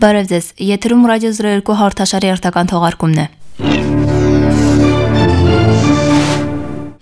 Բարև ձեզ, եթերում ռադիո 02 հաղորդաշարի հերթական թողարկումն է։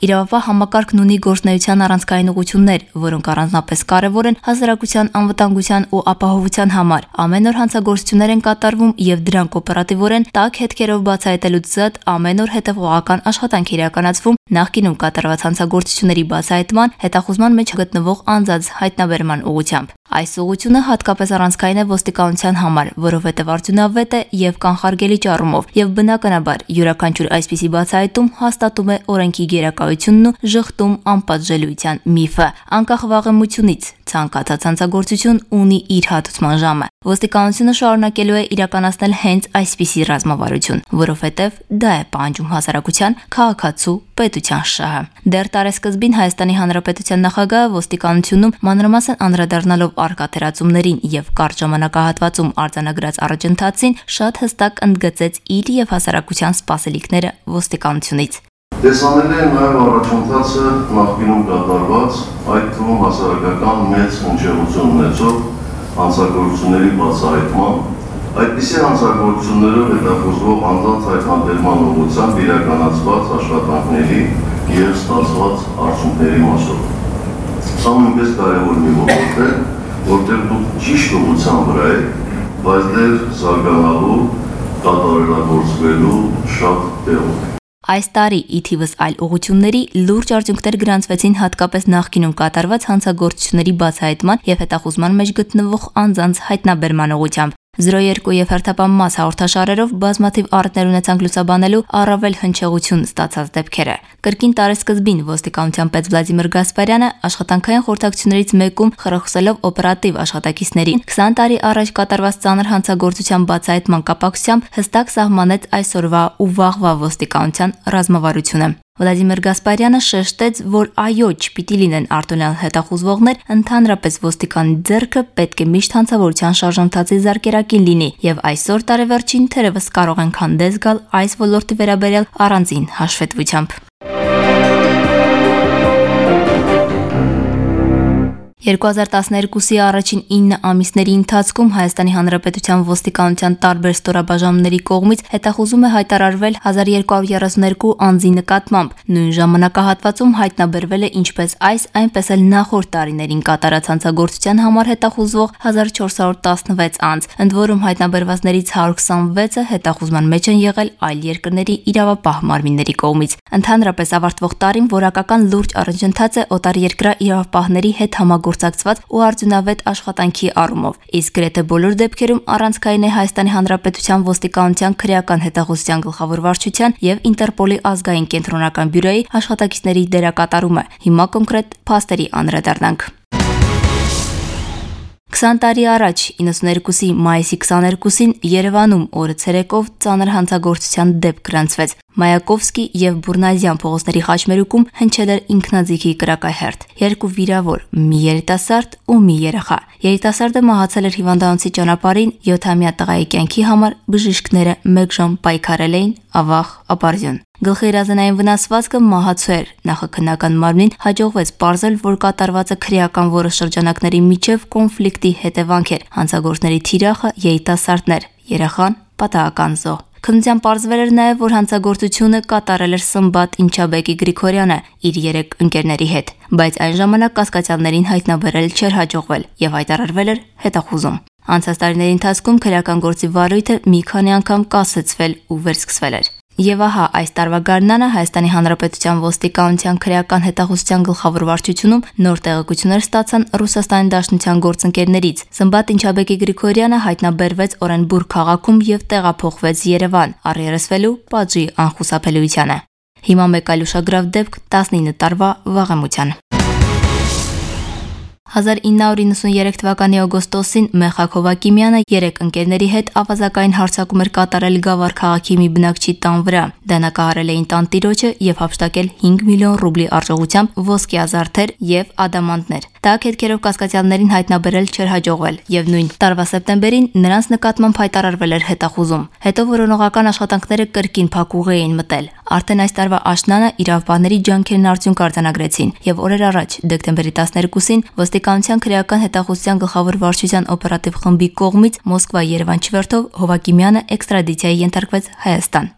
Իրավապահ համակարգն ունի գործունեության առանցքային ուղղություններ, որոնք առանձնապես կարևոր են հասարակության անվտանգության ու ապահովության համար։ Ամեն օր հանցագործություններ են կատարվում եւ դրանք օպերատիվորեն տաք հետքերով բացահայտելուց զատ ամեն օր հետևողական աշխատանք իրականացվում նախկինում կատարված հանցագործությունների բացահայտման, հետախուզման մեջ գտնվող անձանց հայտնաբերման ուղղությամբ։ Այս ուղղությունը հատկապես առանցքային է ոստիկանության համար, որովհետև արդյունավետ է եւ կանխարգելիչ առումով, եւ բնականաբար յուրաքանչյուր այսպիսի բացահայտում հաստատում է օրենքի գերակայությունն ու ժխտում անպատժելիության միֆը։ Անկախ վաղեմությունից ցանկացած հանցագործություն ունի իր հատուցման ժամը։ Ոստիկանությունը շարունակելու է իրականացնել հենց այսպիսի ռազմավարություն, որովհետև դա է պահանջում հասարակության, քաղաքացու, պետության շահը։ Դեռ տարեսկզբին Հայաստանի Հանրապետության նախագահը ոստիկանությունում մանրամասն անդրադառնալով առկա թերացումներին եւ կարճ ժամանակահատվածում արձանագրած առաջընթացին շատ հստակ ընդգծեց իր եւ հասարակության սպասելիքները ոստիկանությունից։ Տեսանելի է նաև առաջընթացը նախկինում կատարված, այդ թվում հասարակական մեծ հնչեղություն ունեցող հանցագործությունների բացահայտման, այդպիսի հանցագործություններով հետախուզվող անձանց հայտնաբերման ուղղությամբ իրականացված աշխատանքների և ստացված արդյունքների մասով։ Սա նույնպես կարևոր մի ոլորտ է, որտեղ դուք ճիշտ ուղղության վրա եք, բայց դեռ զարգանալու, կատարելագործվելու շատ տեղում։ Այս տարի ի թիվս այլ ուղղությունների լուրջ արդյունքներ գրանցվեցին հատկապես նախկինում կատարված հանցագործությունների բացահայտման եւ հետախուզման մեջ գտնվող անձանց հայտնաբերման ուղղությամբ։ 02 եւ հերթապահ մաս հաղորդաշարերով բազմաթիվ առիթներ ունեցանք լուսաբանելու առավել հնչեղություն ստացած դեպքերը։ Կրկին տարեսկզբին ոստիկանության պետ Վլադիմիր Գասպարյանը աշխատանքային խորհրդակցություններից մեկում խրախուսելով օպերատիվ աշխատակիցներին 20 տարի առաջ կատարված ծանր հանցագործության բացահայտման կապակցությամբ հստակ սահմանեց այսօրվա ու վաղվա ոստիկանության ռազմավարությունը։ Վլադիմիր Գասպարյանը շեշտեց, որ այո, չպիտի լինեն արտոնյալ հետախուզվողներ, ընդհանրապես ոստիկանի ձեռքը պետք է միշտ հանցավորության շարժընթացի զարկերակին լինի, եւ այսօր տարեվերջին թերևս կարող ենք հանդես գալ այս ոլորտի վերաբերյալ առանձին հաշվետվությամբ։ 2012-ի առաջին 9 ամիսների ընթացքում Հայաստանի Հանրապետության ոստիկանության տարբեր ստորաբաժանումների կողմից հետախուզում է հայտարարվել 1232 անձի նկատմամբ։ Նույն ժամանակահատվածում հայտնաբերվել է ինչպես այս, այնպես էլ նախորդ տարիներին կատարած հանցագործության համար հետախուզվող 1416 անձ, ընդ որում հայտնաբերվածներից 126-ը հետախուզման մեջ են եղել այլ երկրների իրավապահ մարմինների կողմից։ Ընդհանրապես ավարտվող տարին որակական լուրջ առաջընթաց է օտարերկրյա իրավապահների հետ համագործակցված ու արդյունավետ աշխատանքի առումով, իսկ գրեթե բոլոր դեպքերում առանցքային է Հայաստանի Հանրապետության ոստիկանության քրեական հետախուզության գլխավոր վարչության եւ Ինտերպոլի ազգային կենտրոնական բյուրոյի աշխատակիցների դերակատարումը։ Հիմա կոնկրետ փաստերի անդրադառնանք։ 20 տարի առաջ 92-ի մայիսի 22-ին Երևանում օրը ցերեկով ծանր հանցագործության դեպք գրանցվեց։ Մայակովսկի եւ Բուրնազյան փողոցների խաչմերուկում հնչել էր ինքնաձիգի կրակահերթ։ Երկու վիրավոր՝ մի երիտասարդ ու մի երեխա։ Երիտասարդը մահացել էր հիվանդանոցի ճանապարհին 7-ամյա տղայի կյանքի համար բժիշկները 1 ժամ պայքարել էին, ավաղ ապարդյուն։ Գլխի հրազենային վնասվածքը մահացու էր։ Նախաքննական մարմնին հաջողվեց պարզել, որ կատարվածը քրեական որոշ շրջանակների միջև կոնֆլիկտի հետևանք էր։ Հանցագործների թիրախը երիտասարդն էր, երեխան պատահական զոհ։ Քննության պարզվել էր նաև, որ հանցագործությունը կատարել էր Սմբատ Ինչաբեկի Գրիգորյանը իր 3 ընկերների հետ, բայց այն ժամանակ կասկածյալներին հայտնաբերել չէր հաջողվել եւ հայտարարվել էր հետախուզում։ Անցած տարիների ընթացքում քրեական գործի վարույթը մի քանի անգամ կասեցվել ու վերսկսվել էր։ Եվ ահա այս տարվա գարնանը Հայաստանի Հանրապետության ոստիկանության քրեական հետախուզության գլխավոր վարչությունում նոր տեղեկություններ ստացան Ռուսաստանի Դաշնության գործընկերներից։ Սմբատ Ինչաբեկի Գրիգորյանը հայտնաբերվեց Օրենբուրգ քաղաքում եւ տեղափոխվեց Երևան, առերեսվելու պատժի անխուսափելիությանը։ Հիմա մեկ այլ ուշագրավ դեպք 19 տարվա վաղեմության։ 1993 թվականի օգոստոսին Մեխակ Հովակիմյանը 3 ընկերների հետ ավազակային հարձակում էր կատարել Գավառ քաղաքի մի բնակչի տան վրա։ Դանակահարել էին տան տիրոջը եւ հափշտակել 5 միլիոն ռուբլի արժողությամբ ոսկեազարդեր եւ ադամանդներ։ Տաք հետքերով կասկածյալներին հայտնաբերել չէր հաջողվել եւ նույն տարվա սեպտեմբերին նրանց նկատմամբ հայտարարվել էր հետախուզում։ Հետո որոնողական աշխատանքները կրկին փակուղի էին մտել։ Արդեն այս տարվա աշնանը իրավաբանների ջանքերն արդյունք արձանագրեցին եւ օրեր առաջ դեկտեմբերի 12-ին ոստիկանության քրեական հետախուզության գլխավոր վարչության օպերատիվ խմբի կողմից Մոսկվա-Երևան չվերթով Հովակիմյանը էքստրադիցիայի ենթարկվեց Հայաստան։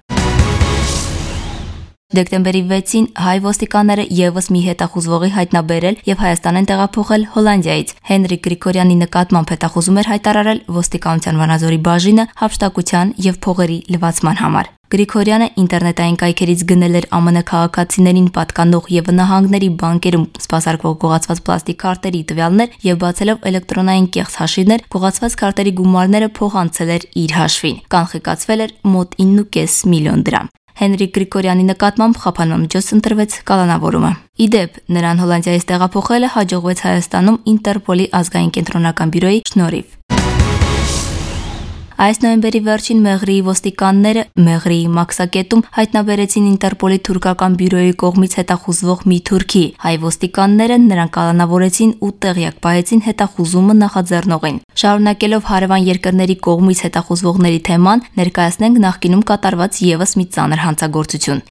Դեկտեմբերի 6-ին հայ ոստիկանները եւս մի հետախուզվողի հայտնաբերել եւ Հայաստան են տեղափոխել Հոլանդիայից։ Հենրիկ Գրիգորյանի նկատմամբ հետախուզում էր հայտարարել ոստիկանության Վանաձորի բաժինը հափշտակության եւ փողերի լվացման համար։ Գրիգորյանը ինտերնետային կայքերից գնել էր ԱՄՆ քաղաքացիներին պատկանող եւ նահանգների բանկերում սպասարկվող գողացված պլաստիկ քարտերի տվյալներ եւ բացելով էլեկտրոնային կեղծ հաշիվներ, գողացված քարտերի գումարները փոխանցել էր իր հաշվին։ Կանխիկացվել էր մոտ 9.5 միլիոն դրամ։ Հենրիկ Գրիգորյանի նկատմամբ խափանման միջոց ընտրվեց կալանավորումը։ Իդեպ, նրան Հոլանդիայից տեղափոխելը հաջողվեց Հայաստանում Ինտերպոլի ազգային կենտրոնական բյուրոյի շնորհիվ։ Այս նոյեմբերի վերջին Մեղրիի ոստիկանները Մեղրիի մաքսակետում հայտնաբերեցին Ինտերպոլի թուրքական բյուրոյի կողմից հետախուզվող մի թուրքի։ Հայ ոստիկանները նրան կալանավորեցին ու տեղյակ պահեցին հետախուզումը նախաձեռնողին։ Շարունակելով հարևան երկրների կողմից հետախուզվողների թեման, ներկայացնենք նախկինում կատարված եւս մի ծանր հանցագործություն։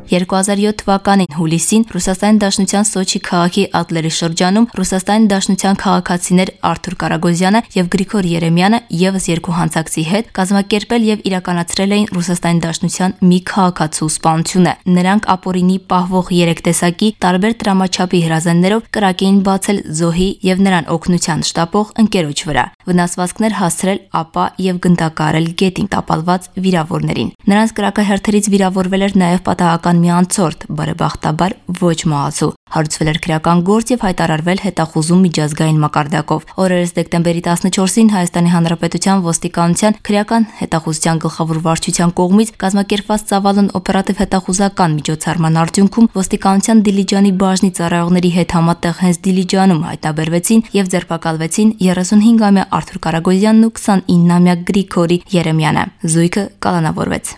2007 թվականին հուլիսին Ռուսաստանի Դաշնության Սոչի քաղաքի Ադլերի շրջանում Ռուսաստանի Դաշնության քաղաքացիներ Արթուր Կարագոզյանը եւ Գրիգոր Երեմյանը եւս երկու հանցակցի հետ կազմակերպել եւ իրականացրել էին Ռուսաստանի Դաշնության մի քաղաքացու սպանությունը։ Նրանք ապօրինի պահվող 3 տեսակի տարբեր տրամաչափի հրազեններով կրակ էին բացել զոհի եւ նրան օգնության շտապող ընկերոջ վրա։ Վնասվածքներ հասցրել ապա եւ գնդակարել գետին տապալված վիրավորներին։ Նրանց կրակահերթերից վիրավորվել էր նաեւ պատահական մի անցորդ, բարեբախտաբար ոչ մահացու։ Հարուցվել էր քրեական գործ եւ հայտարարվել հետախուզում միջազգային մակարդակով։ Օրերս դեկտեմբերի 14-ին Հայաստանի Հանրապետության ոստիկանության քրեական հետախուզության գլխավոր վարչության կողմից կազմակերպված ծավալուն օպերատիվ հետախուզական միջոցառման արդյունքում ոստիկանության Դիլիջանի բաժնի ծառայողների հետ համատեղ հենց Դիլիջանում հայտնաբերվեցին եւ ձերբակալվեցին 35-ամյա Արթուր Կարագոզյանն ու 29-ամյա Գրիգորի Երեմյանը։ Զույգը կալանավորվեց։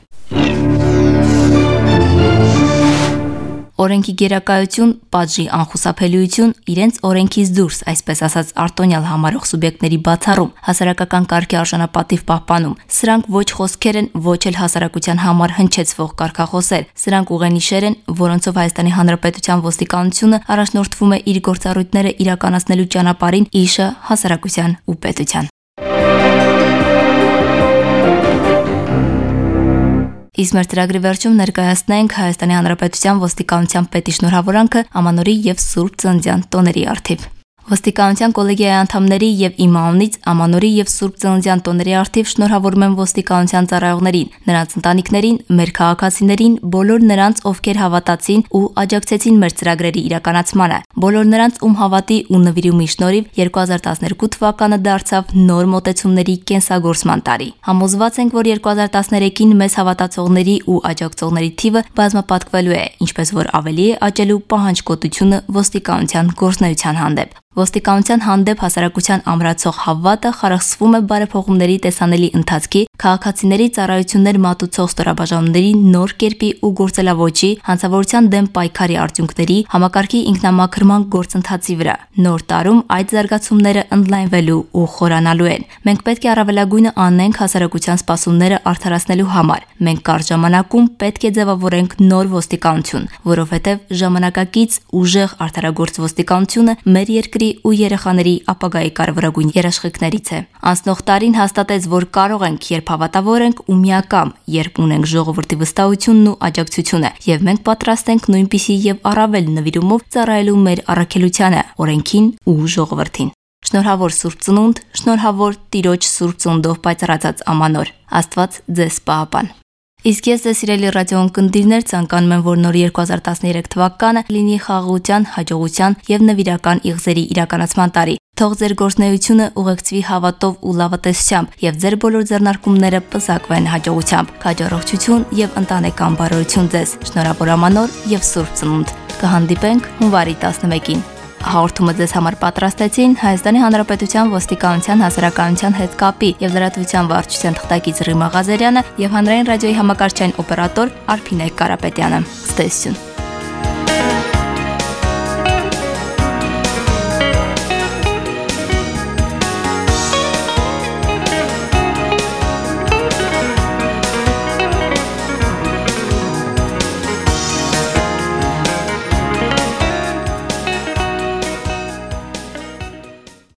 Օրենքի գերակայություն, պատժի անխուսափելիություն, իրենց օրենքից դուրս, այսպես ասած, արտոնյալ համարող սուբյեկտների բացառում, հասարակական կարգի արժանապատիվ պահպանում։ Սրանք ոչ խոսքեր են, ոչ էլ հասարակության համար հնչեցվող կարգախոսեր։ Սրանք ուղենիշեր են, որոնցով Հայաստանի Հանրապետության ոստիկանությունը առաջնորդվում է իր գործառույթները իրականացնելու ճանապարհին իշը հասարակության ու պետության։ Իսկ մեր ծրագրի վերջում ներկայացնենք Հայաստանի Հանրապետության ոստիկանության պետի շնորհավորանքը Ամանորի եւ Սուրբ Ծննդյան տոների առթիվ։ Ոստիկանության կոլեգիայի անդամների եւ իմ անունից Ամանորի եւ Սուրբ Ծննդյան տոների առթիվ շնորհավորում եմ ոստիկանության ծառայողներին, նրանց ընտանիքներին, մեր քաղաքացիներին, բոլոր նրանց, ովքեր հավատացին ու աջակցեցին մեր ծրագրերի իրականացմանը, բոլոր նրանց, ում հավատի ու նվիրումի շնորհիվ 2012 թվականը դարձավ նոր մոտեցումների կենսագործման տարի։ Համոզված ենք, որ 2013-ին մեզ հավատացողների ու աջակցողների թիվը բազմապատկվելու է, ինչպես որ ավելի է աճելու պահանջկոտությունը ոստիկանության գործունեության հանդեպ։ Ոստիկանության հանդեպ հասարակության ամրացող հավատը խարխսվում է բարեփոխումների տեսանելի ընթացքի, քաղաքացիների ծառայություններ մատուցող ստորաբաժանումների նոր կերպի ու գործելավոճի, հանցավորության դեմ պայքարի արդյունքների, համակարգի ինքնամաքրման գործընթացի վրա։ Նոր տարում այդ զարգացումները ընդլայնվելու ու խորանալու են։ Մենք պետք է առավելագույնը անենք հասարակության սպասումները արդարացնելու համար։ Մենք կարճ ժամանակում պետք է ձևավորենք նոր ոստիկանություն, որովհետև ժամանակակից ուժեղ արդարագործ ոստիկանությունը մեր երկրի ու երեխաների ապագայի կարևորագույն երաշխիքներից է։ Անցնող տարին հաստատեց, որ կարող ենք, երբ հավատավոր ենք ու միակամ, երբ ունենք ժողովրդի վստահությունն ու աջակցությունը, եւ մենք պատրաստ ենք նույնպիսի եւ առավել նվիրումով ծառայելու մեր առաքելությանը, օրենքին ու ժողովրդին։ Շնորհավոր Սուրբ Ծնունդ, շնորհավոր Տիրոջ Սուրբ Ծնունդով պայծառացած Ամանոր։ Աստված ձեզ պահապան։ Իսկ ես ձեզ սիրելի ռադիոընկերներ ցանկանում եմ, որ նոր 2013 թվականը լինի խաղաղության, հաջողության եւ նվիրական իղձերի իրականացման տարի։ Թող ձեր գործունեությունը ուղեկցվի հավատով ու լավատեսությամբ եւ ձեր բոլոր ձեռնարկումները պսակվեն հաջողությամբ։ Քաջառողջություն եւ ընտանեկան բարօրություն ձեզ։ Շնորհավոր Ամանոր եւ Սուրբ Ծնունդ։ Կհանդիպենք հունվարի 11-ին։ Հաղորդումը ձեզ համար պատրաստեցին Հայաստանի Հանրապետության ոստիկանության հասարակայնության հետ կապի եւ լրատվության վարչության թղթակից Ռիմա Ղազարյանը եւ հանրային ռադիոյի համակարգչային օպերատոր Արփինե Կարապետյանը։ Ստեսություն։